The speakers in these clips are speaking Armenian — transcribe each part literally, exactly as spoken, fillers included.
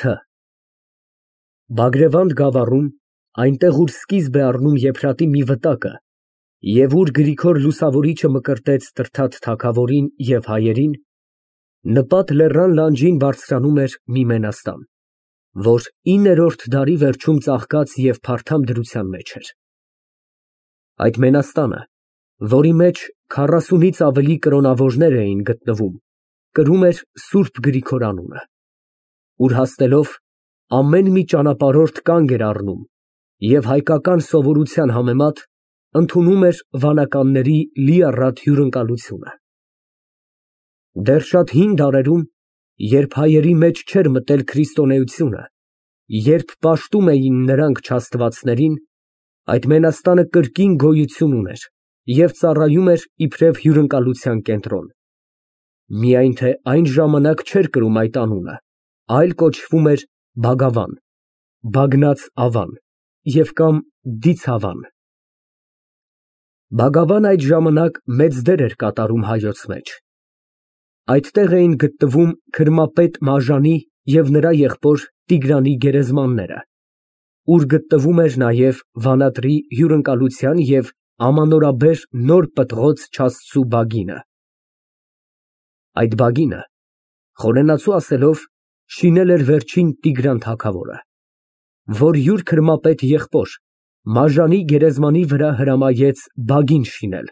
Թ Բագրևանդ գավառում, այնտեղ, ուր սկիզբ է առնում Եփրատի մի վտակը և ուր Գրիգոր Լուսավորիչը մկրտեց Տրդատ թագավորին և հայերին, նպատ լեռան լանջին բարձրանում էր մի մենաստան, որ իններորդ դարի վերջում ծաղկած և փարթամ դրության մեջ էր։ Այդ մենաստանը, որի մեջ քառասունից ավելի կրոնավորներ էին գտնվում, կրում էր Սուրբ Գրիգոր անունը, ուր հասնելով, ամեն մի ճանապարհորդ կանգ էր առնում և հայկական սովորության համեմատ ընդունում էր վանականների լիառատ հյուրընկալությունը։ Դեռ շատ հին դարերում, երբ հայերի մեջ չէր մտել քրիստոնեությունը, երբ պաշտում էին նրանք չաստվածներին, այդ մենաստանը կրկին գոյություն ուներ և ծառայում էր իբրև հյուրընկալության կենտրոն, միայն թե այն ժամանակ չէր կրում այդ անունը, այլ կոչվում էր Բագավան, Բագնած ավան և կամ Դիցավան։ Բագավան այդ ժամանակ մեծ դեր էր կատարում հայոց մեջ։ Այդտեղ էին գտնվում քրմապետ Մաժանի և նրա եղբոր Տիգրանի գերեզմանները, ուր գտնվում էր նաև վանատրի հյուրընկալության և ամանորաբեր նոր պտղոց չաստծու բագինը։ Այդ բագինը, խորենացու ասելով, շինել էր վերջին Տիգրան թագավորը, որ յուր քրմապետ եղբոր Մաժանի գերեզմանի վրա հրամայեց բագին շինել,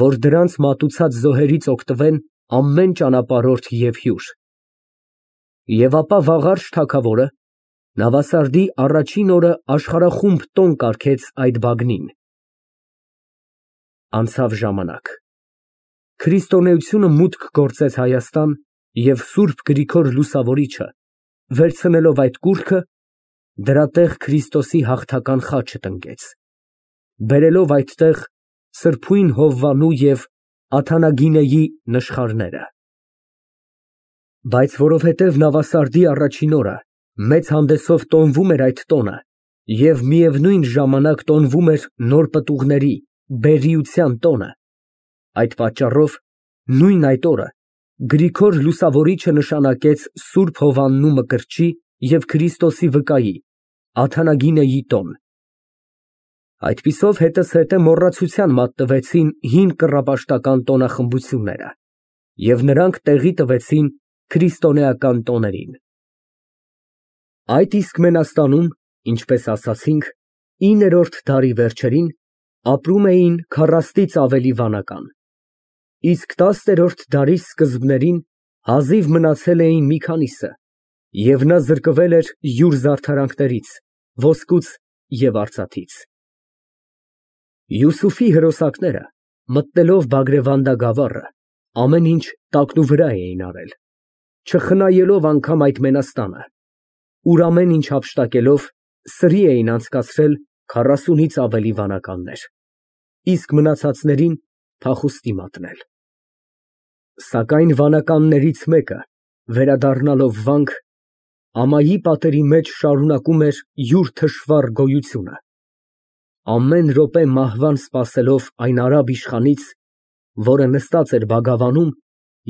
որ դրանց մատուցած զոհերից օգտվեն ամեն ճանապարհորդ և հյուր։ Եվ ապա Վաղարշ թագավորը նավասարդի առաջին օրը աշխարհախումբ տոն կարգեց այդ բագնին։ Անցավ ժամանակ, քրիստոնեությունը մուտք գործեց Հայաստան և Սուրբ Գրիգոր Լուսավորիչը, վերցնելով այդ կուռքը, դրա տեղ Քրիստոսի հաղթական խաչը տնկեց, բերելով այդտեղ Սրբույն Հովվանու և Աթանագինեի նշխարները։ Բայց որովհետև նավասարդի առաջին օրը մեծ հանդեսով տոնվում էր այդ տոնը և միևնույն ժամանակ տոնվում էր նոր պտուղների բերիության տոնը, այդ պատճառով նույն այդ օրը Գրիգոր Լուսավորիչը նշանակեց Սուրբ Հովվանու Մկրտչի և Քրիստոսի վկայի Աթանագինեի տոն։ Այդպիսով հետզհետե մոռացության մատնվեցին հին կռապաշտական տոնախմբությունները և նրանք տեղի տվեցին քրիստոնեական տոներին։ Այդ իսկ մենաստանում, ինչպես ասացինք, իններորդ դարի վերջերին ապրում էին քառաստից ավելի վանական, իսկ տասներորդ դարի սկզբներին հազիվ մնացել էին մի քանիսը, և նա զրկվել էր յուր զարդարանքներից, ոսկուց և արծաթից։ Յուսուֆի հրոսակները, մտնելով Բագրևանդա գավառը, ամեն ինչ տակնուվրա էին արել, չխնայելով անգամ այդ մենաստանը, ուր ամեն ինչ հափշտակելով սրի էին անցկացրել քառասունից ավելի վանականներ, իսկ մնացածներին փախուստի մատնել։ Սակայն վանականներից մեկը, վերադառնալով վանք, ամայի պատերի մեջ շարունակում էր յուր թշվառ գոյությունը, ամեն րոպե մահվան սպասելով այն արաբ իշխանից, որը նստած էր Բագավանում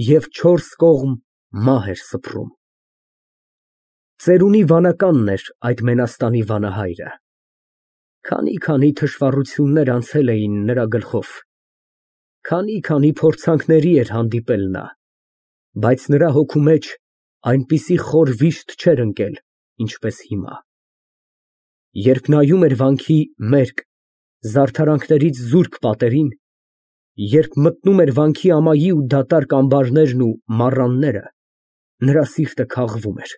և չորս կողմ մահ էր սփռում։ Ծերունի վանականն էր այդ մենաստանի վանահայրը։ Քանի֊քանի թշվառություններ անցել էին նրա գլխով, քանի֊քանի փորձանքների էր հանդիպել նա, բայց նրա հոգու մեջ այնպիսի խոր վիշտ չէր ընկել, ինչպես հիմա։ Երբ նայում էր վանքի մերկ, զարդարանքներից զուրկ պատերին, երբ մտնում էր վանքի ամայի ու դատարկ ամբարներն ու մառանները, նրա սիրտը քաղվում էր,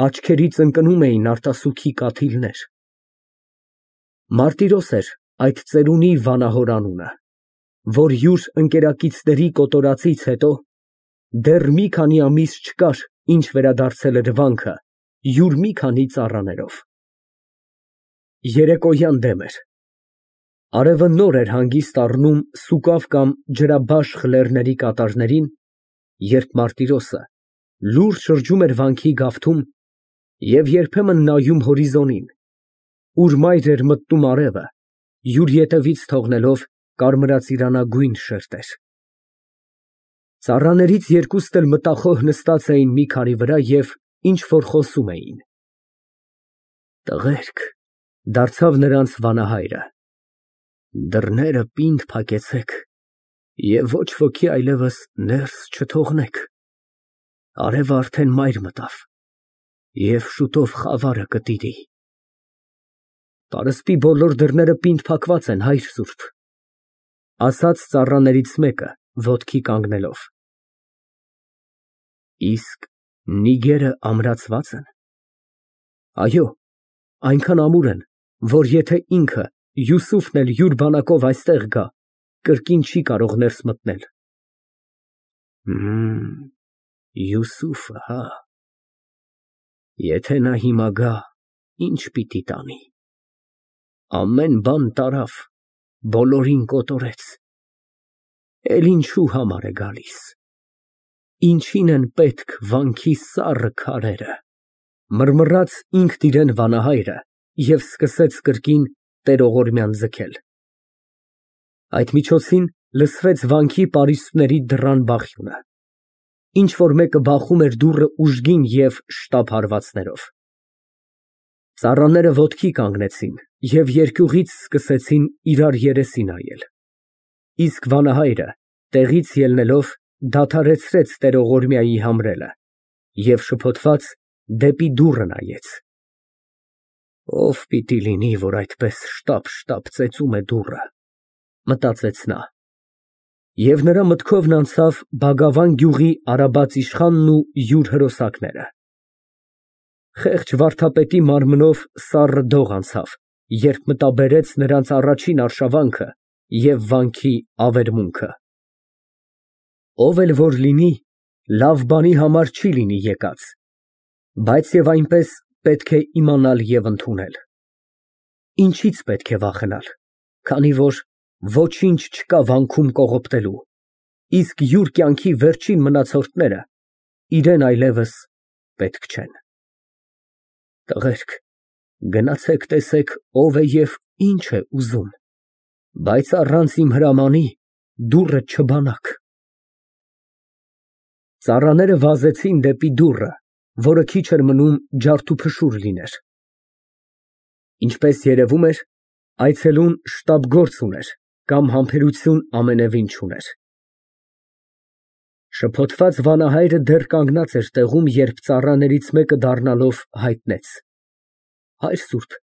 աչքերից ընկնում էին արտասուքի կաթիլներ։ Մարտիրոս էր այդ ծերունի վանահոր անունը, որ յուր ընկերակիցների կոտորածից հետո դեռ մի քանի ամիս չկար, ինչ վերադարձել էր վանքը յուր մի քանի ծառաներով։ Երեկոյան դեմ էր։ Արևը նոր էր հանգիստ առնում Սուկավ կամ Ջրաբաշխ լեռների կատարներին, երբ Մարտիրոսը լուռ շրջում էր վանքի գավթում և երբեմն նայում հորիզոնին, ուր մայր էր մտնում արևը, յուր ետևից թողնելով կարմրածիրանագույն շերտեր։ Ծառաներից երկուսն էլ մտախոհ նստած էին մի քարի վրա և ինչ որ խոսում էին։ Տղերք, դարձավ նրանց վանահայրը, դռները պինդ փակեցեք և ոչ ոքի այլևս ներս չթողնեք, արևը արդեն մայր մտավ և շուտով խավարը կտիրի։ Պարսպի բոլոր դռները պինդ փակված են, հայր սուրբ, ասաց ծառաներից մեկը, ոտքի կանգնելով։ Իսկ նիգերը ամրացվա՞ծ են։ Այո, այնքան ամուր են, որ եթե ինքը Յուսուֆն էլ յուր բանակով այստեղ գա, կրկին չի կարող ներս մտնել։ Հըմ, Յուսուֆը, հա։ Եթե նա հիմա գա, ի՞նչ պիտի տանի։ Ամեն բան տարավ, բոլորին կոտորեց, էլ ինչու համար է գալիս։ Ինչին են պետք վանքի սառը քարերը։ Մռմռաց ինքն իրան վանահայրը և սկսեց կրկին տերողորմյան ձգել։ Այդ միջոցին լսվեց վանքի պարիսպների դռան բախյունը։ Ինչ որ մեկը բախում էր դուռը ուժգին և շտապ հարվածներով։ Ծառաները ոտքի կանգնեցին և երկյուղից սկսեցին իրար երեսի նայել։ Իսկ վանահայրը, տեղից ելնելով, դադարեցրեց տերողորմյայի համրելը և շփոթված դեպի դուռը նայեց։ Ո՞վ պիտի լինի, որ այդպես շտապ֊շտապ ծեծում է դուռը, մտածեց նա։ Եվ նրա մտքովն անցավ Բագավան գյուղի արաբաց իշխանն ու յուր հրոսակները։ Խեղճ վարդապետի մարմնով սառը դող անցավ, երբ մտաբերեց նրանց առաջին արշավանքը և վանքի ավերմունքը։ Ով էլ որ լինի, լավ բանի համար չի լինի եկած, բայց և այնպես պետք է իմանալ և ընդունել։ Ինչից պետք է վախենալ, քանի որ ոչինչ չկա վանքում կողոպտելու, իսկ յուր կյանքի վերջին մնացորդները իրան այլևս պետք չեն։ Տղերք, գնացեք տեսեք ով է և ինչ է ուզում, բայց առանց իմ հրամանի դուռը չբանաք։ Ծառաները վազեցին դեպի դուռը, որը քիչ էր մնում ջարդուփշուր լիներ։ Ինչպես երևում էր, այցելուն շտապ գործ ուներ կամ համբերություն ամենևին չուներ։ Շփոթված վանահայրը դեռ կանգնած էր տեղում, երբ ծառաներից մեկը դառնալով հայտնեց. Հայր սուրբ,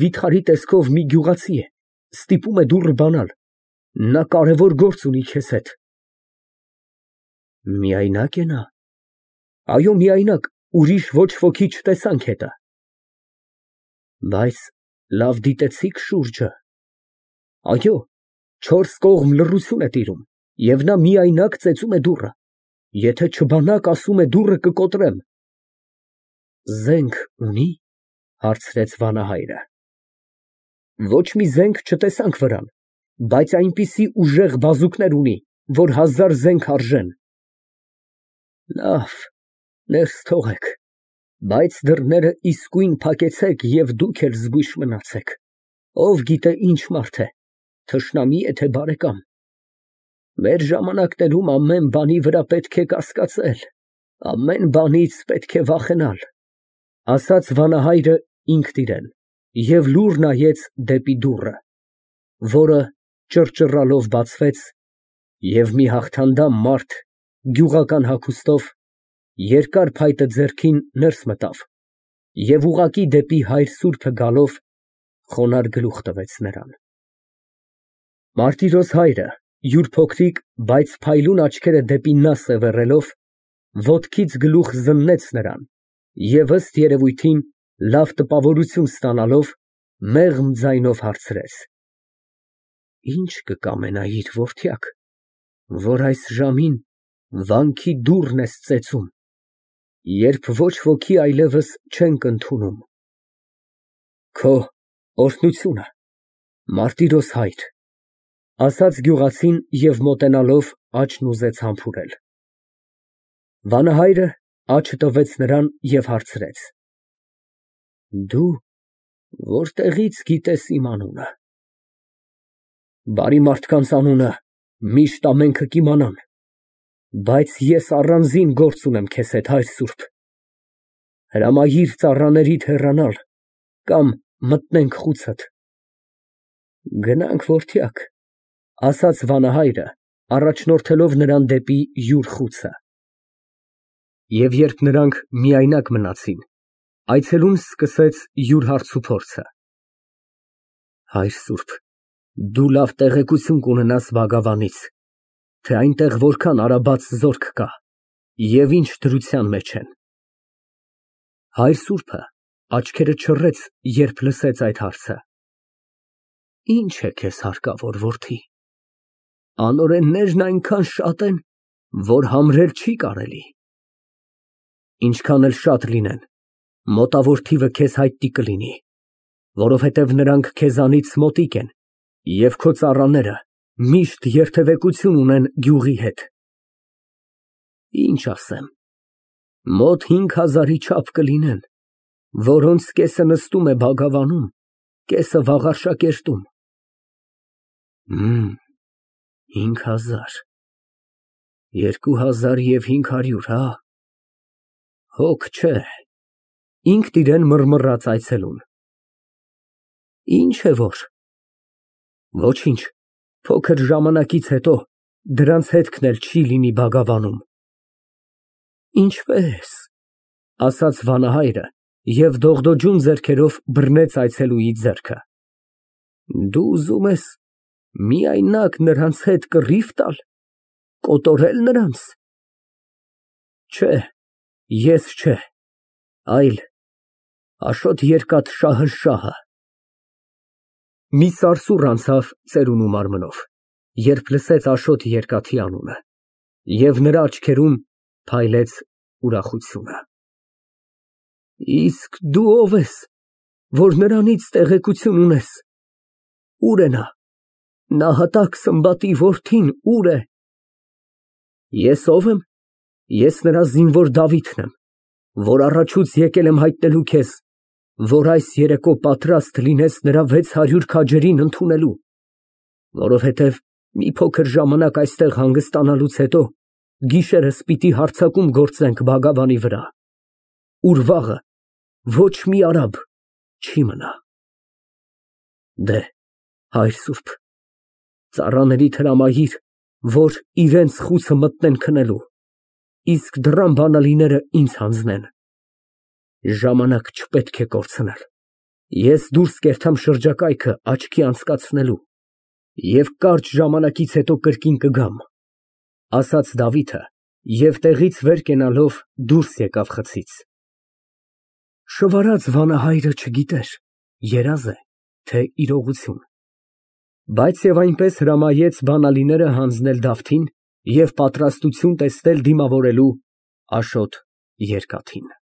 վիթխարի տեսքով մի գյուղացի է, ստիպում է դուռը բանալ, նա կարևոր գործ ունի քեզ հետ։ Միայնա՞կ է նա։ Այո, միայնակ, ուրիշ ոչ ոքի չտեսանք հետը։ Բայց լավ դիտեցի՞ք շուրջը։ Այո, չորս կողմ լռություն է տիրում, և նա միայնակ ծեծում է դուռը, եթե չբանաք, ասում է, դուռը կկոտրեմ։ Զենք ունի՞, հարցրեց վանահայրը։ Ոչ մի զենք չտեսանք վրան, բայց այնպիսի ուժեղ բազուկներ ունի, որ հազար զենք արժեն։ Լավ, ներս թողեք, բայց դռները իսկույն փակեցեք և դուք էլ զգույշ մնացեք, ով գիտե ինչ մարդ է, թշնամի է, թե բարեկամ։ Մեր ժամանակներում ամեն բանի վրա պետք է կասկածել, ամեն բանից պետք է վախենալ, ասաց վանահայրը ինքն իրան և լուռ նայեց դեպի դուռը, որը ճռճռալով բացվեց, և մի հաղթանդամ մարդ գյուղական հագուստով, երկար փայտը ձեռքին, ներս մտավ և ուղղակի դեպի հայր սուրբը գալով, խոնարհ գլուխ տվեց նրան։ Մարտիրոս հայրը, յուր փոքրիկ, բայց փայլուն աչքերը դեպի նա սևեռելով, ոտքից գլուխ զննեց նրան և ըստ երևույթին, լավ տպավորություն ստանալով, մեղմ ձայնով հարցրեց. Ի՞նչ կկամենայիր, որդյակ, որ այս ժամին վանքի դուռն ես ծեծում, երբ ոչ ոքի այլևս չենք ընդունում։ Քո օրհնությունը, Մարտիրոս հայր, ասաց գյուղացին և մոտենալով աչքն ուզեց համբուրել։ Վանահայրը աչքը տվեց նրան և հարցրեց. Դու որտեղի՞ց գիտես իմ անունը։ Բարի մարդկանց անունը միշտ ամենքը կիմանան, բայց ես առանձին գործ ունեմ քեզ հետ, հայր սուրբ։ Հրամայիր ծառաներիդ հեռանալ կամ մտնենք խուցդ։ Գնանք, որդյակ, ասաց վանահայրը, առաջնորդելով նրան դեպի յուր խուցը։ Եվ երբ նրանք միայնակ մնացին, այցելուն սկսեց յուր հարցուփորձը. Հայր սուրբ, դու լավ տեղեկություն կունենաս Բագավանից, թե այնտեղ որքան արաբաց զորք կա և ինչ դրության մեջ են։ Հայր սուրբը աչքերը չռեց, երբ լսեց այդ հարցը։ Ինչ է քեզ հարկավոր, որդի, անօրեններն այնքան շատ են, որ համրել չի կարելի։ Ինչքան էլ շատ լինեն, մոտավոր թիվը քեզ հայտնի կլինի, որովհետև նրանք քեզանից մոտիկ են և քո ծառաները միշտ երթևեկություն ունեն գյուղի հետ։ Ինչ ասեմ, մոտ հինգ հազարի չափ կլինեն, որոնց կեսը նստում է Բագավանում, կեսը Վաղարշակերտում։ Հինգ հազար, երկու հազար և հինգ հարյուր, հա՞։ Հոգ չէ, ինքն իրան մռմռաց այցելուն։ Ինչ է որ։ Ոչինչ, փոքր ժամանակից հետո դրանց հետքն էլ չի լինի Բագավանում։ Ինչպե՞ս, ասաց վանահայրը և դողդոջուն ձեռքերով բռնեց այցելուի ձեռքը։ Դու ուզում ես միայնակ նրանց հետ կռիվ տալ, կոտորել նրանց։ Չէ, ես չէ, այլ Աշոտ Երկաթշահը։ Մի սարսուռ անցավ ծերունու մարմնով, երբ լսեց Աշոտ Երկաթի անունը, և նրա աչքերում փայլեց ուրախությունը։ Իսկ դու ո՞վ ես, որ նրանից տեղեկություն ունես, ուր է նա, նահատակ Սմբատի որդին ուր է։ Ես ո՞վ եմ, ես նրա զինվոր Դավիթն եմ, որ առաջուց եկել եմ հայտնելու քեզ, որ այս երեկո պատրաստ լինես նրա վեց հարյուր քաջերին ընդունելու, որովհետև մի փոքր ժամանակ այստեղ հանգստանալուց հետո գիշերս պիտի հարձակում գործենք Բագավանի վրա, ուր վաղը ոչ մի արաբ չի մնա։ Դե, հայր սուրբ, ծառաներիդ հրամայիր, որ իրենց խուցը մտնեն քնելու, իսկ դռան բանալիները ինձ հանձնեն։ Ժամանակ չպետք է կորցնել, ես դուրս կերտամ շրջակայքը աչքի անցկացնելու և կարճ ժամանակից հետո կրկին կգամ, ասաց Դավիթը և տեղից վեր կենալով դուրս եկավ խցից։ Շվարած վանահայրը չգիտեր երազ է, թե իրողություն, բայց և այնպես հրամայեց բանալիները հանձնել Դավթին և պատրաստություն տեսնել դիմավորելու Աշոտ Երկաթին։